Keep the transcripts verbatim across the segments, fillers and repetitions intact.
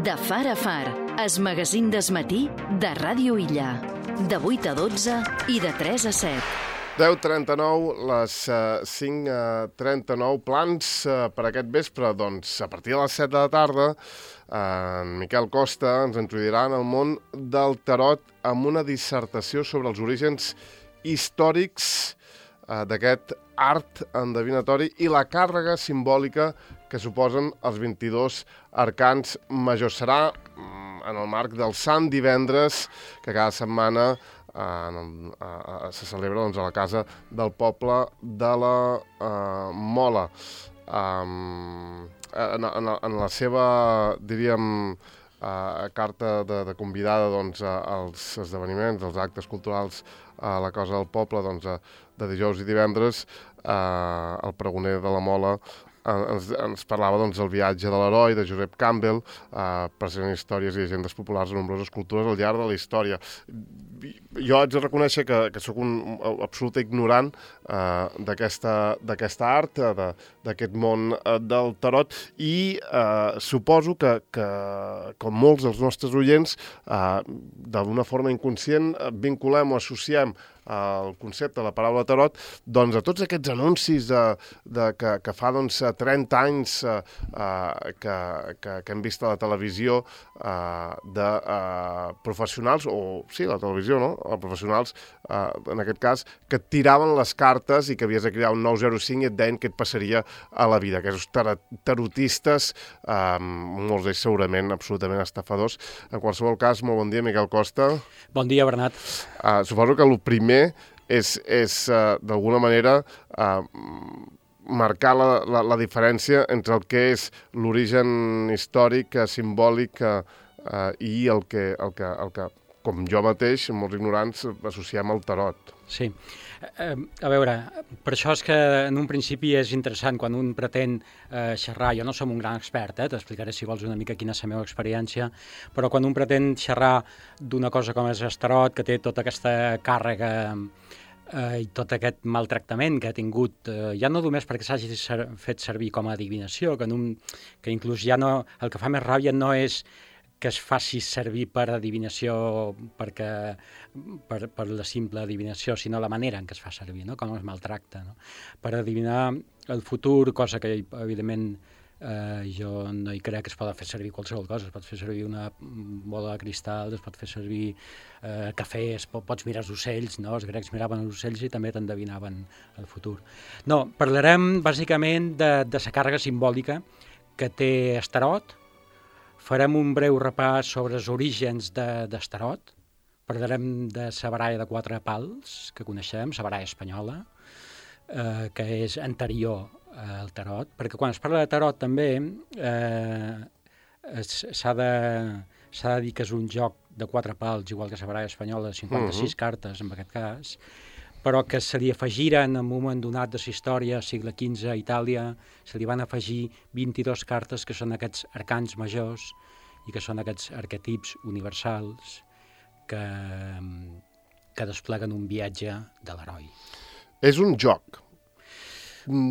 De far a far, es magazín d'esmatí de Ràdio Illa. De vuit a dotze i de tres a set. deu trenta-nou, les uh, cinc trenta-nou, plans uh, per aquest vespre. Doncs a partir de les set de la tarda, uh, en Miquel Costa ens introduirà en el món del tarot amb una dissertació sobre els orígens històrics uh, d'aquest art endevinatori i la càrrega simbòlica que suposen els vint-i-dos arcans majors. Serà mm, en el marc del Sant Divendres, que cada setmana eh, en el, eh, se celebra doncs, a la casa del poble de la eh, Mola. Um, en, en, en la seva, diríem, Uh, carta de, de convidada doncs, uh, als esdeveniments, als actes culturals a la Casa del Poble, doncs, uh, de dijous i divendres, uh, el pregoner de la Mola uh, ens, ens parlava doncs, del viatge de l'heroi, de Josep Campbell, uh, present històries i llegendes populars de nombroses cultures al llarg de la història. Jo haig de reconèixer que, que sóc un, un absolut ignorant uh, d'aquesta art, uh, d'aquest món uh, del tarot, i uh, suposo que, que, com molts dels nostres oients, uh, d'una forma inconscient uh, vinculem o associem el concepte de la paraula tarot doncs, a tots aquests anuncis de, de, que, que fa doncs, trenta anys uh, uh, que, que, que hem vist a la televisió uh, de uh, professionals, o sí, la televisió, no? Professionals, uh, en aquest cas, que et tiraven les cartes i que havies de crear un nou zero cinc i et deien què et passaria a la vida. Aquests tar tarotistes, uh, molts d'ells segurament absolutament estafadors. En qualsevol cas, molt bon dia, Miquel Costa. Bon dia, Bernat. Uh, suposo que el primer és, és uh, d'alguna manera, uh, marcar la, la, la diferència entre el que és l'origen històric, uh, simbòlic uh, uh, i el que, el, que, el que, com jo mateix, molts ignorants, associem al tarot. Sí. Eh, a veure, per això és que en un principi és interessant quan un pretén eh, xerrar, jo no som un gran expert, eh, t'explicaré si vols una mica quina és la meva experiència, però quan un pretén xerrar d'una cosa com és el tarot, que té tota aquesta càrrega eh, i tot aquest maltractament que ha tingut, eh, ja no només perquè s'hagi ser, fet servir com a adivinació, que, en un, que inclús ja no, el que fa més ràbia no és que es faci servir per adivinació, perquè, per, per la simple adivinació, sinó la manera en què es fa servir, no? Com es maltracta, no? Per adivinar el futur, cosa que, evidentment, eh, jo no hi crec que es pot fer servir qualsevol cosa. Es pot fer servir una bola de cristal, es pot fer servir eh, cafè, es pot, pots mirar els ocells, no? Els grecs miraven els ocells i també t'endevinaven el futur. No, parlarem, bàsicament, de, de la càrrega simbòlica que té el tarot. Farem un breu repàs sobre els orígens de, del tarot. Parlarem de la baralla de quatre pals que coneixem, la baralla espanyola, eh, que és anterior al tarot, perquè quan es parla de tarot també eh, s'ha de, s'ha de dir que és un joc de quatre pals, igual que la baralla espanyola, de cinquanta-sis uh-huh. cartes en aquest cas, però que se li afegiren en un moment donat de la història, segle quinze, a Itàlia, se li van afegir vint-i-dos cartes que són aquests arcans majors i que són aquests arquetips universals que, que despleguen un viatge de l'heroi. És un joc.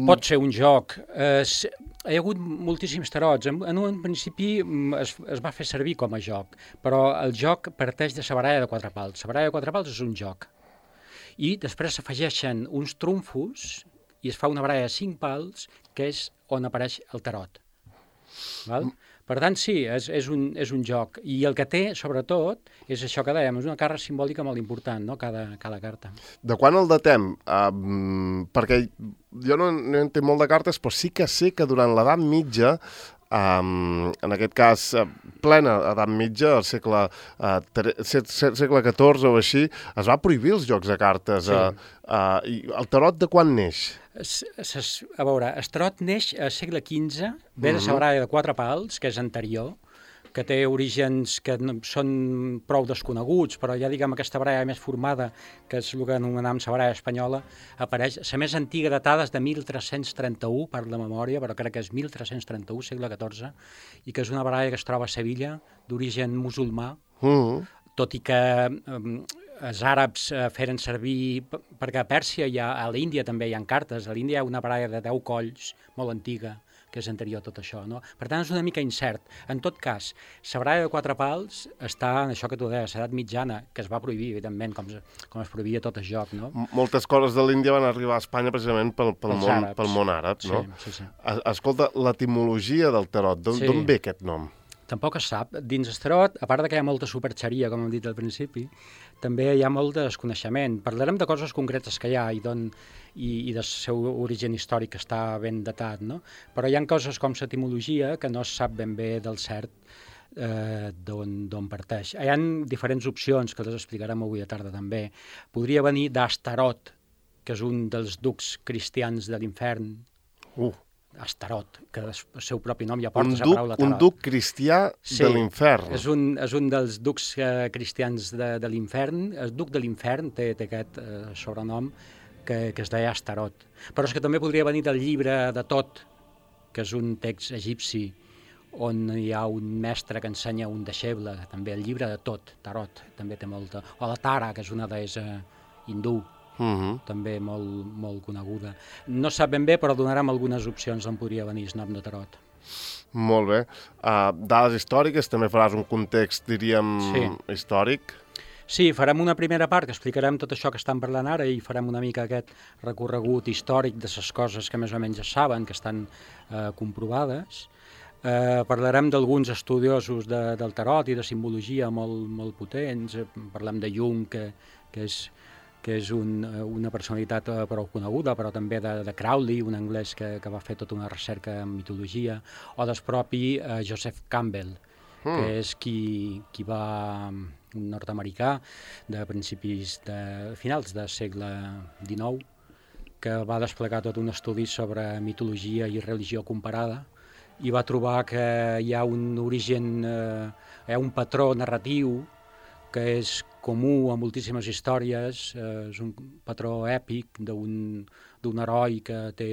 Pot ser un joc. Eh, hi ha hagut moltíssims tarots. En, en un principi es, es va fer servir com a joc, però el joc parteix de la baralla de quatre pals. La baralla de quatre pals és un joc. I després s'afegeixen uns trumfos i es fa una baralla de cinc pals, que és on apareix el tarot. Val? Per tant, sí, és, és, un, és un joc. I el que té, sobretot, és això que dèiem, és una càrrega simbòlica molt important, no? cada, cada carta. De quan el datem? Uh, perquè jo no, no entenc molt de cartes, però sí que sé que durant l'edat mitja, Um, en aquest cas, uh, plena edat mitja, al segle, uh, segle catorze o així, es va prohibir els jocs de cartes. Sí. Uh, uh, i el tarot de quan neix? Es, es, a veure, el tarot neix al segle quinze, ve de la baralla de quatre pals, que és anterior, que té orígens que no, són prou desconeguts, però ja diguem aquesta baralla més formada, que és el que anomenem la baralla espanyola, apareix, la més antiga datada és de mil tres-cents trenta-u, per la memòria, però crec que és mil tres-cents trenta-u, segle catorze, i que és una baralla que es troba a Sevilla, d'origen musulmà, uh-huh. tot i que um, els àrabs eh, feren servir, perquè a Pèrsia, hi ha, a l'Índia també hi ha cartes, a l'Índia hi ha una baralla de deu colls, molt antiga, que és anterior a tot això, no? Per tant, és una mica incert. En tot cas, la baralla de quatre pals està en això que tu deies, l'edat mitjana, que es va prohibir, evidentment, com, com es prohibia tot el joc, no? Moltes coses de l'Índia van arribar a Espanya precisament pel, pel, món, àrabs. pel món àrab, no? Sí, sí, sí. Escolta, l'etimologia del tarot, d'on sí. ve aquest nom? Tampoc es sap. Dins el tarot, a part de que hi ha molta superxeria, com hem dit al principi, també hi ha molt de desconeixement. Parlarem de coses concretes que hi ha i, don, i, i del seu origen històric que està ben datat, no? Però hi ha coses com l'etimologia que no es sap ben bé del cert eh, d'on parteix. Hi ha diferents opcions que les explicarem avui a tarda també. Podria venir d'Astarot, que és un dels ducs cristians de l'infern. Uh! Astarot, que el seu propi nom ja porta la paraula tarot. Un duc cristià sí, de l'infern. És un, és un dels ducs eh, cristians de, de l'infern. El duc de l'infern té, té aquest eh, sobrenom que, que es deia Astarot. Però és que també podria venir del llibre de Tot, que és un text egipci on hi ha un mestre que ensenya un deixeble, també el llibre de Tot, Tarot, també té molta... O la Tara, que és una deessa hindú, Uh-huh. també molt, molt coneguda. No sap ben bé, però donarem algunes opcions d'on podria venir el nom de tarot. Molt bé. Uh, dades històriques, també faràs un context, diríem, sí. històric? Sí, farem una primera part que explicarem tot això que estan parlant ara i farem una mica aquest recorregut històric de les coses que més o menys es saben, que estan uh, comprovades. Uh, parlarem d'alguns estudiosos de, del tarot i de simbologia molt, molt potents. Parlem de Jung, que, que és que és un, una personalitat prou coneguda, però també de, de Crowley, un anglès que, que va fer tota una recerca en mitologia, o del propi uh, Joseph Campbell, mm. que és qui, qui va, un nord-americà de principis, de finals del segle dinou, que va desplegar tot un estudi sobre mitologia i religió comparada, i va trobar que hi ha un origen, eh, hi ha un patró narratiu que és comú a moltíssimes històries, eh, és un patró èpic d'un heroi que, té,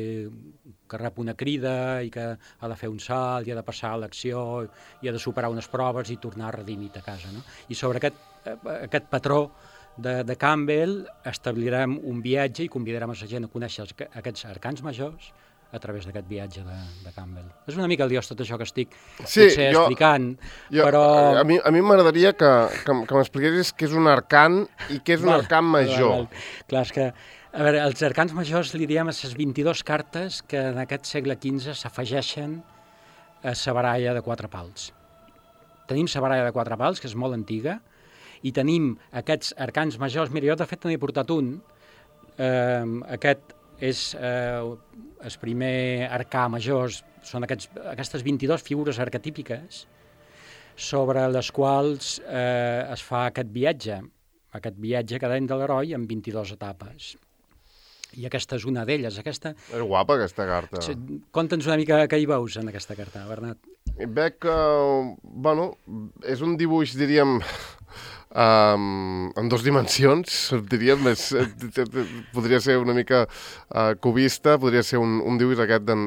que rep una crida i que ha de fer un salt, i ha de passar a l'acció, i ha de superar unes proves i tornar redimit a casa, no? I sobre aquest, eh, aquest patró de, de Campbell establirem un viatge i convidarem a la gent a conèixer els, aquests arcans majors a través d'aquest viatge de, de Campbell. És una mica liós tot això que estic sí, potser jo, explicant, jo, però... A mi, a mi m'agradaria que, que, que m'expliquessis què és un arcan i què és un val, arcan major. Val, val. Clar, és que, a veure, els arcans majors li diem a les vint-i-dues cartes que en aquest segle quinze s'afegeixen a la baralla de quatre pals. Tenim la baralla de quatre pals, que és molt antiga, i tenim aquests arcans majors. Mira, jo de fet n'he portat un, eh, aquest és eh, el primer arcà major, són aquests, aquestes vint-i-dues figures arquetípiques sobre les quals eh, es fa aquest viatge, aquest viatge que dèiem de l'heroi en vint-i-dues etapes. I aquesta és una d'elles. Aquesta... És guapa, aquesta carta. Conta'ns una mica què hi veus en aquesta carta, Bernat. Veig que, bueno, és un dibuix, diríem, um, en dos dimensions, diríem, és, podria ser una mica uh, cubista, podria ser un, un dibuix aquest d'en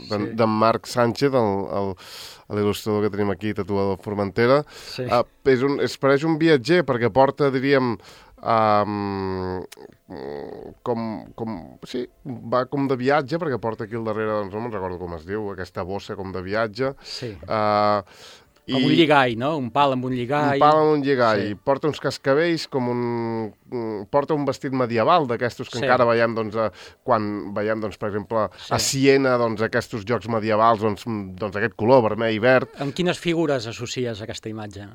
sí. Marc Sánchez, l'il·lustrador que tenim aquí, tatuador de Formentera. Sí. Uh, és un, es pareix un viatger perquè porta, diríem, Um, com, com, sí, va com de viatge, perquè porta aquí al darrere, doncs no me'n recordo com es diu, aquesta bossa com de viatge. Sí. Uh, com i, un lligall, no? Un pal amb un lligall. Un pal amb un lligall. Sí. Porta uns cascavells, com un... Porta un vestit medieval d'aquestos que sí. encara veiem, doncs, a, quan veiem, doncs, per exemple, sí. a Siena, doncs, aquests jocs medievals, doncs, doncs aquest color vermell i verd. Amb quines figures associes aquesta imatge?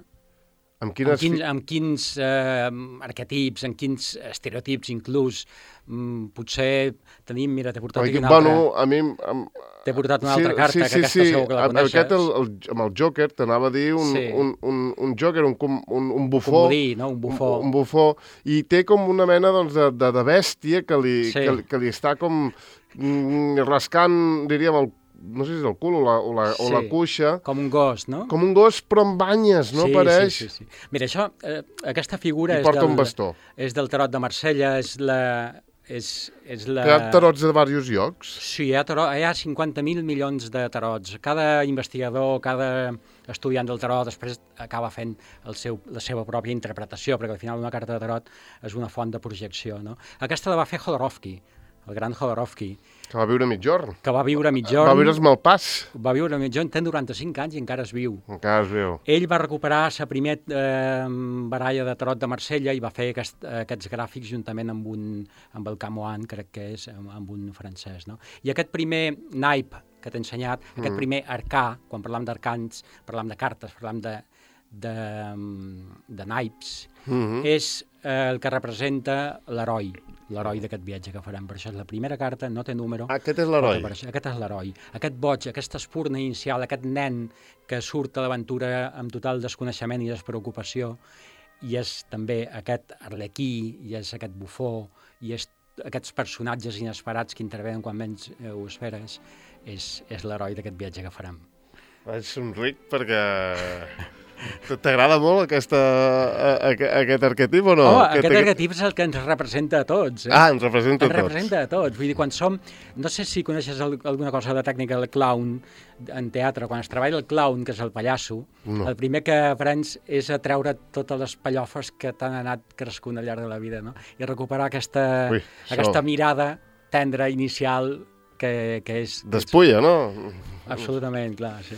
Amb quines... Amb quins, amb quins eh, arquetips, amb quins estereotips inclús, mm, potser tenim, mira, t'he portat aquí una bueno, altra... A mi... Amb... T'he portat una sí, altra carta, sí, que sí, aquesta sí. segur que la coneixes. Aquest, el, el, amb el Joker, t'anava a dir un, sí. un, un, un Joker, un, un, un bufó. Comodí, no? Un bufó. Un, un bufó. I té com una mena, doncs, de, de, de bèstia que li, sí. que, que li està com mm, rascant, diríem, el no sé si és el cul o la, o la, sí, o la cuixa. Com un gos, no? Com un gos, però amb banyes, no? Sí, Pareix? Sí, sí, sí. Mira, això, eh, aquesta figura I és porta del, un bastó. És del tarot de Marsella, és la... És, és la... Hi ha tarots de diversos llocs? Sí, hi ha, tarot, hi ha cinquanta mil milions de tarots. Cada investigador, cada estudiant del tarot després acaba fent el seu, la seva pròpia interpretació, perquè al final una carta de tarot és una font de projecció, no? Aquesta la va fer Jodorowsky. el gran Jodorowsky. Que va viure mitjorn. Que va viure mitjorn. Va viure el pas. Va viure mitjorn, té noranta-cinc anys i encara es viu. Encara es viu. Ell va recuperar la primera eh, baralla de tarot de Marsella i va fer aquest, aquests gràfics juntament amb, un, amb el Camoan, crec que és, amb, amb un francès. No? I aquest primer naip que t'he ensenyat, mm. aquest primer arcà, quan parlam d'arcans, parlam de cartes, parlam de, de, de naips, mm-hmm. és eh, el que representa l'heroi. L'heroi d'aquest viatge que farem. Per això és la primera carta, no té número. Aquest és l'heroi. Aquest és l'heroi. Aquest boig, aquesta espurna inicial, aquest nen que surt a l'aventura amb total desconeixement i despreocupació, i és també aquest arlequí, i és aquest bufó, i és aquests personatges inesperats que intervenen quan menys ho esperes, és, és l'heroi d'aquest viatge que farem. Vaig somric perquè... T'agrada molt aquesta, a, a, aquest arquetip o no? Oh, aquest arquetip és el que ens representa a tots. Eh? Ah, ens representa a tots. Ens representa a tots. Vull dir, quan som... No sé si coneixes alguna cosa de la tècnica del clown en teatre. Quan es treballa el clown, que és el pallasso, no. El primer que aprens és a treure totes les pallofes que t'han anat crescunt al llarg de la vida, no? I recuperar aquesta, Ui, aquesta mirada tendra, inicial, que, que és... Despulla, no? Absolutament, clar, sí.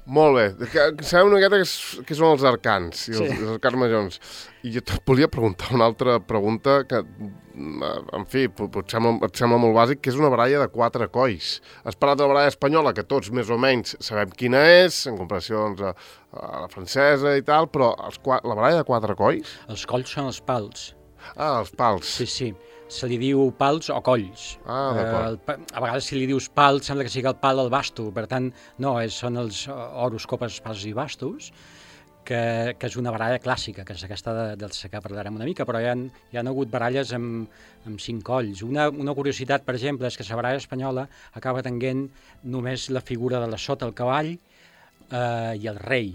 Molt bé. Sabem una miqueta què són els arcans i els, sí. els arcans majors. I jo et volia preguntar una altra pregunta que, en fi, et sembla, et sembla molt bàsic, que és una baralla de quatre colls. Has parlat de la baralla espanyola, que tots més o menys sabem quina és, en comparació doncs, a, a la francesa i tal, però els, la baralla de quatre colls... Els colls són els pals. Ah, els pals. Sí, sí. Se li diu pals o colls. Ah, d'acord. Uh, a vegades si li dius pal, sembla que sigui el pal al basto. Per tant, no, és, són els oros, copes, pals i bastos, que, que és una baralla clàssica, que és aquesta de, dels que parlarem una mica, però hi ha, hi ha hagut baralles amb, amb cinc colls. Una, una curiositat, per exemple, és que la baralla espanyola acaba tenint només la figura de la sota, el cavall eh, i el rei.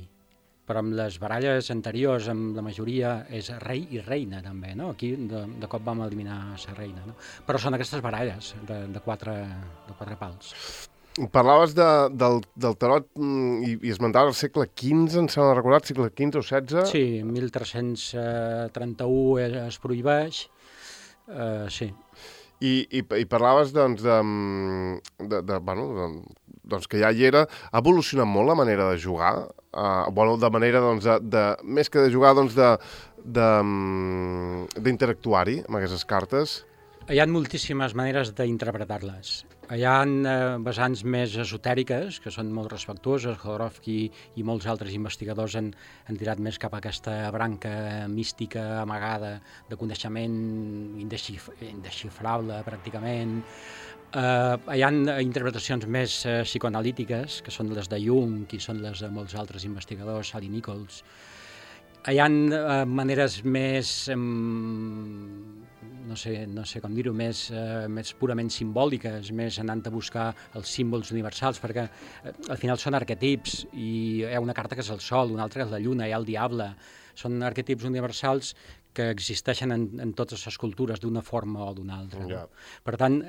Però amb les baralles anteriors, amb la majoria, és rei i reina, també, no? Aquí, de, de cop vam eliminar la reina, no? Però són aquestes baralles de, de, quatre, de quatre pals. Parlaves de, del, del tarot i, i esmentaves el segle quinze, em sembla recordat, segle quinze o setze? Sí, mil tres-cents trenta-u es, es prohibeix, uh, sí. I, i, i parlaves, doncs, de, de, de, bueno, de, doncs que ja hi era. Ha evolucionat molt la manera de jugar? Uh, bueno, de manera, doncs, de, de, més que de jugar, doncs, de, de, d'interactuar-hi amb aquestes cartes? Hi ha moltíssimes maneres d'interpretar-les. Hi ha eh, vessants més esotèriques, que són molt respectuoses. Jodorowsky i molts altres investigadors han, han tirat més cap a aquesta branca mística amagada de coneixement indexif indexifrable, pràcticament. Uh, hi ha interpretacions més uh, psicoanalítiques, que són les de Jung i són les de molts altres investigadors, Sally Nichols. Hi ha uh, maneres més, um, no sé, no sé com dir-ho, més, uh, més purament simbòliques, més anant a buscar els símbols universals, perquè uh, al final són arquetips, i hi ha una carta que és el sol, una altra que és la lluna, hi ha el diable. Són arquetips universals que existeixen en, en totes les cultures d'una forma o d'una altra. No? Yeah. Per tant,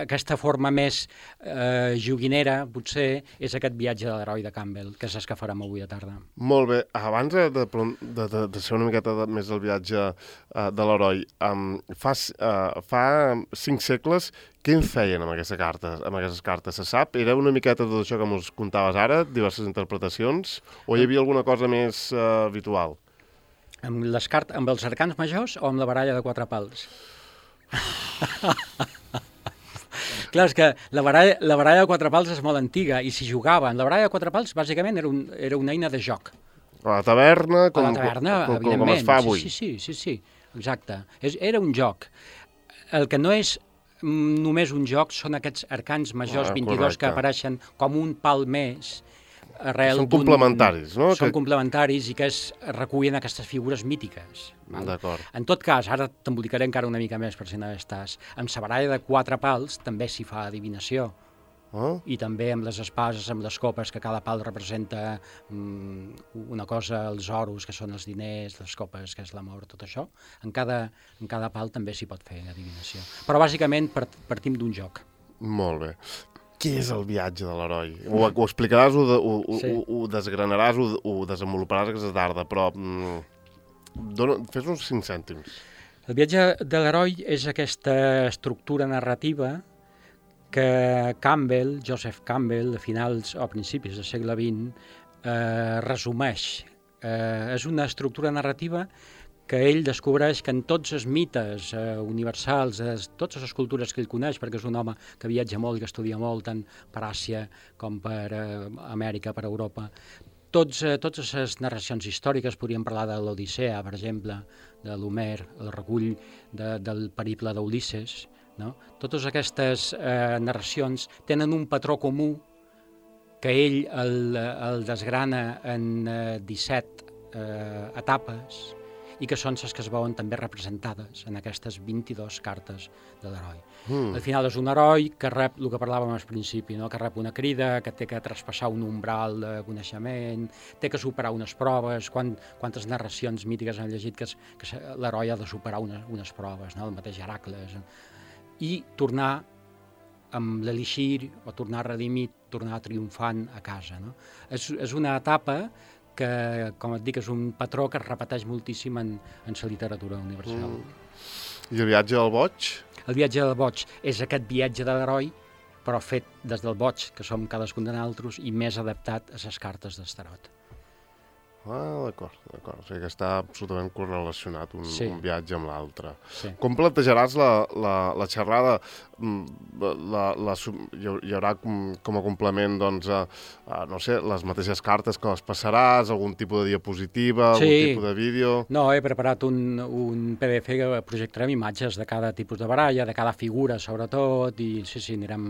aquesta forma més eh, joguinera, potser, és aquest viatge de l'heroi de Campbell, que és el que farem avui a tarda. Molt bé. Abans de, de, de, de, de ser una miqueta de, més del viatge uh, de l'heroi, um, fa, uh, fa cinc segles, què en feien amb aquestes cartes? Amb aquestes cartes? Se sap? Era una miqueta tot això que ens contaves ara, diverses interpretacions, o hi havia alguna cosa més uh, habitual? Amb, les cart amb els arcans majors o amb la baralla de quatre pals? Clar, és que la baralla, la baralla de quatre pals és molt antiga i si jugava en la baralla de quatre pals, bàsicament era, un, era una eina de joc. A la taverna, com, a la taverna, com, com, com es fa avui. Sí, sí, sí, sí, exacte. És, era un joc. El que no és només un joc són aquests arcans majors ah, vint-i-dos correcte. Que apareixen com un pal més. Són complementaris, no? Són que... complementaris i que es recullen aquestes figures mítiques. D'acord. En tot cas, ara t'embolicaré encara una mica més per si no estàs. Amb la baralla de quatre pals també s'hi fa adivinació. Oh? I també amb les espases, amb les copes, que cada pal representa um, una cosa, els oros, que són els diners, les copes, que és l'amor, tot això. En cada, en cada pal també s'hi pot fer adivinació. Però bàsicament partim d'un joc. Molt bé. Què és el viatge de l'heroi? Ho, ho explicaràs, ho, de, ho, sí. ho, ho desgranaràs, ho, ho desenvoluparàs aquesta tarda, però mm, dona, fes uns cinc cèntims. El viatge de l'heroi és aquesta estructura narrativa que Campbell, Joseph Campbell, a finals o principis del segle vint, eh, resumeix. Eh, és una estructura narrativa que ell descobreix que en tots els mites eh, universals, es, totes les cultures que ell coneix, perquè és un home que viatja molt i que estudia molt, tant per Àsia com per eh, Amèrica, per Europa, tots, eh, totes les narracions històriques, podríem parlar de l'Odissea, per exemple, de l'Homer, el recull de, del periple d'Ulisses, no? Totes aquestes eh, narracions tenen un patró comú que ell el, el desgrana en eh, disset eh, etapes i que són les que es veuen també representades en aquestes vint-i-dues cartes de l'heroi. Mm. Al final és un heroi que rep el que parlàvem al principi, no? Que rep una crida, que té que traspassar un umbral de coneixement, té que superar unes proves, quan, quantes narracions mítiques han llegit que, que l'heroi ha de superar unes, unes proves, no? El mateix Heracles, i tornar amb l'elixir o tornar redimit, tornar triomfant a casa. No? És, és una etapa que, com et dic, és un patró que es repeteix moltíssim en, en la literatura universal. Mm. I el viatge del boig? El viatge del boig és aquest viatge de l'heroi, però fet des del boig, que som cadascun de nosaltres, i més adaptat a les cartes d'Astarot. Ah, d'acord, d'acord. O sigui que està absolutament correlacionat un, sí. un viatge amb l'altre. Sí. Com plantejaràs la, la, la xerrada? La, la, hi haurà com, com a complement, doncs, a, a, no sé, les mateixes cartes que les passaràs, algun tipus de diapositiva, sí. algun tipus de vídeo? No, he preparat un, un P D F que projectarem imatges de cada tipus de baralla, de cada figura, sobretot, i sí, sí, anirem...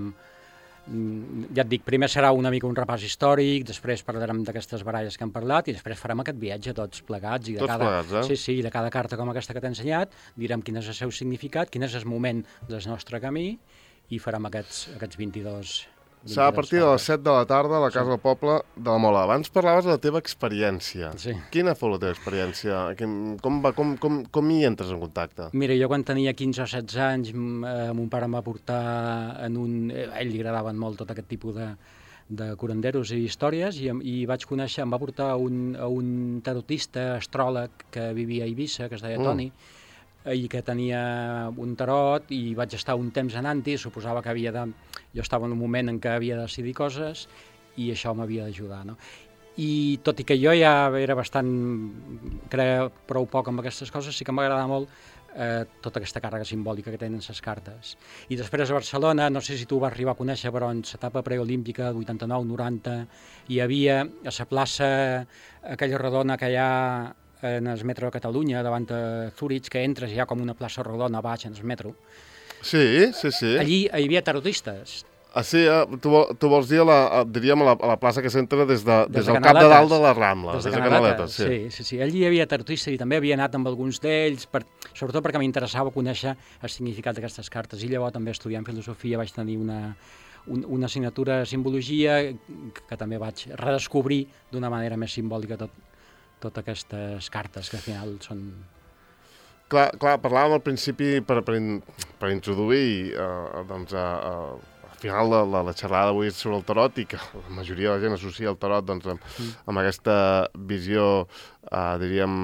Ja et dic, primer serà una mica un repàs històric, després parlarem d'aquestes baralles que hem parlat i després farem aquest viatge tots plegats. I de tots cada, plegats, eh? Sí, sí, de cada carta com aquesta que t'he ensenyat, direm quin és el seu significat, quin és el moment del nostre camí i farem aquests, aquests vint-i-dos... Serà a partir de les set de la tarda a la Casa sí. del Poble de la Mola. Abans parlaves de la teva experiència. Sí. Quina fou la teva experiència? Com, va, com, com, com hi entres en contacte? Mira, jo quan tenia quinze o setze anys, eh, mon pare em va portar en un... A ell li agradaven molt tot aquest tipus de, de curanderos i històries i, i vaig conèixer, em va portar un, a un tarotista, astròleg, que vivia a Eivissa, que es deia mm. Toni, i que tenia un tarot, i vaig estar un temps anant-hi, suposava que havia de... Jo estava en un moment en què havia de decidir coses i això m'havia d'ajudar, no? I tot i que jo ja era bastant... creia prou poc amb aquestes coses, sí que m'agrada molt eh, tota aquesta càrrega simbòlica que tenen les cartes. I després a Barcelona, no sé si tu vas arribar a conèixer, però en l'etapa preolímpica, vuitanta-nou noranta, hi havia a la plaça aquella rodona que hi ha en el metro de Catalunya, davant de Zurich, que entres i hi ha com una plaça rodona baix en el metro. Sí, sí, sí. Allí hi havia tarotistes. Ah, sí, eh? tu, tu vols dir, a la, a, diríem, a la, a la plaça que s'entra des, de, des, des de del cap de dalt de la Rambla, des de, des de Canaletes. Sí. Sí, sí, sí. Allí hi havia tarotistes i també havia anat amb alguns d'ells, per, sobretot perquè m'interessava conèixer el significat d'aquestes cartes. I llavors també estudiant filosofia vaig tenir una, un, una assignatura de simbologia que també vaig redescobrir d'una manera més simbòlica tot, totes aquestes cartes que al final són... Clar, clar parlàvem al principi per, per, in, per introduir eh, doncs, eh, al final de la, la xerrada d'avui sobre el tarot i que la majoria de la gent associa el tarot doncs, amb, mm. amb aquesta visió, eh, diríem,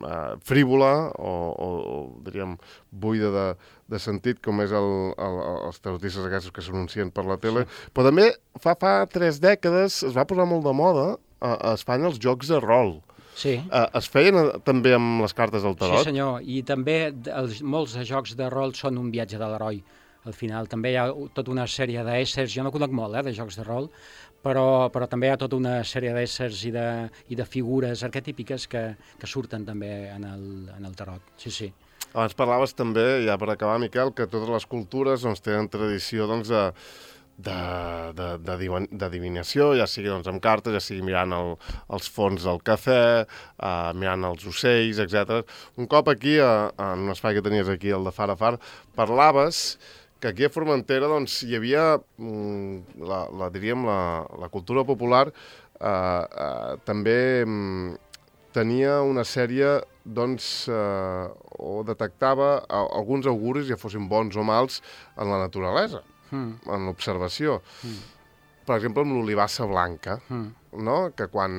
eh, frívola o, o, o diríem, buida de, de sentit, com és el, el, els tarotistes aquests que s'anuncien per la tele. Sí. Però també fa, fa tres dècades es va posar molt de moda a, a Espanya els jocs de rol. Sí. Uh, es feien també amb les cartes del tarot? Sí, senyor, i també els, molts de jocs de rol són un viatge de l'heroi. Al final també hi ha tota una sèrie d'éssers, jo no conec molt eh, de jocs de rol, però, però també hi ha tota una sèrie d'éssers i, de, i de figures arquetípiques que, que surten també en el, en el tarot. Sí, sí. Abans parlaves també, ja per acabar, Miquel, que totes les cultures doncs, tenen tradició doncs, de... De, de, de, d'adivinació, ja sigui doncs, amb cartes, ja sigui mirant el, els fons del cafè, uh, mirant els ocells, etcètera. Un cop aquí, uh, en un espai que tenies aquí, el de Far a Far, parlaves que aquí a Formentera doncs, hi havia, mm, la, la, diríem, la, la cultura popular uh, uh, també um, tenia una sèrie doncs, uh, o detectava uh, alguns auguris, ja fossin bons o mals, en la naturalesa. Mm. En l'observació. Mm. Per exemple, amb l'olivassa blanca, mm. no? Que quan,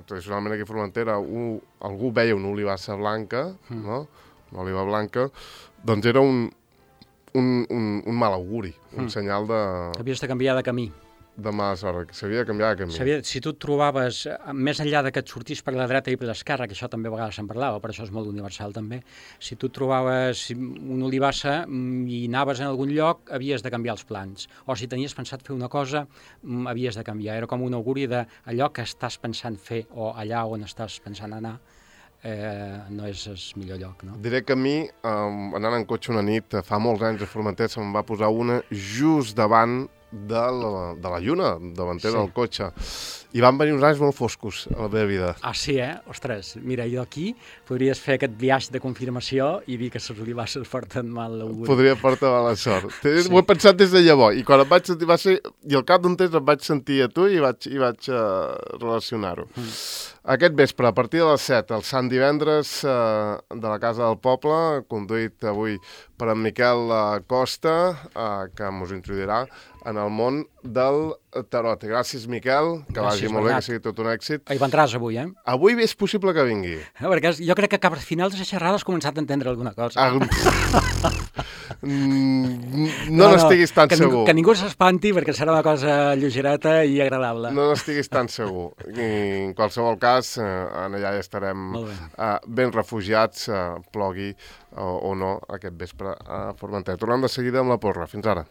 tradicionalment aquí a Formentera, un, algú veia una olivassa blanca, mm. no? oliva blanca, doncs era un, un, un, un mal auguri, un mm. senyal de... Havies de canviar de camí. De mala sort, que s'havia de canviar de camí. Sabia, si tu et trobaves, més enllà de que et sortís per la dreta i per l'esquerra, que això també a vegades se'n parlava, però això és molt universal també, si tu et trobaves una olivassa i anaves en algun lloc, havies de canviar els plans. O si tenies pensat fer una cosa, havies de canviar. Era com un auguri d'allò que estàs pensant fer o allà on estàs pensant anar, eh, no és el millor lloc, no? Diré que a mi, eh, anant en cotxe una nit, fa molts anys a Formentera, se'm va posar una just davant de la, de la lluna, davantera sí. del cotxe. I van venir uns anys molt foscos a la meva vida. Ah, sí, eh? Ostres, mira, jo aquí podries fer aquest viatge de confirmació i dir que les olivasses porten mal l'auguri. Podria portar mala sort. Sí. Ho he pensat des de llavors, i quan em vaig sentir, va ser, i al cap d'un temps em vaig sentir a tu i vaig, i vaig uh, relacionar-ho. Mm. Aquest vespre, a partir de les set, el Sant Divendres uh, de la Casa del Poble, conduït avui per en Miquel Costa, uh, que mos introduirà en el món del tarot. Gràcies, Miquel, que Gràcies, vagi molt Bernat. Bé, que sigui tot un èxit. Hi vendràs avui, eh? Avui és possible que vingui. Eh, perquè jo crec que cap al final de la xerrada has començat a entendre alguna cosa. Ah, no no n'estiguis no, tan que segur. Ningú, que ningú s'espanti perquè serà una cosa lleugereta i agradable. No n'estiguis tan segur. I en qualsevol cas, eh, allà ja estarem eh, ben refugiats, eh, plogui o, o no, aquest vespre a Formentera. Tornem de seguida amb la porra. Fins ara.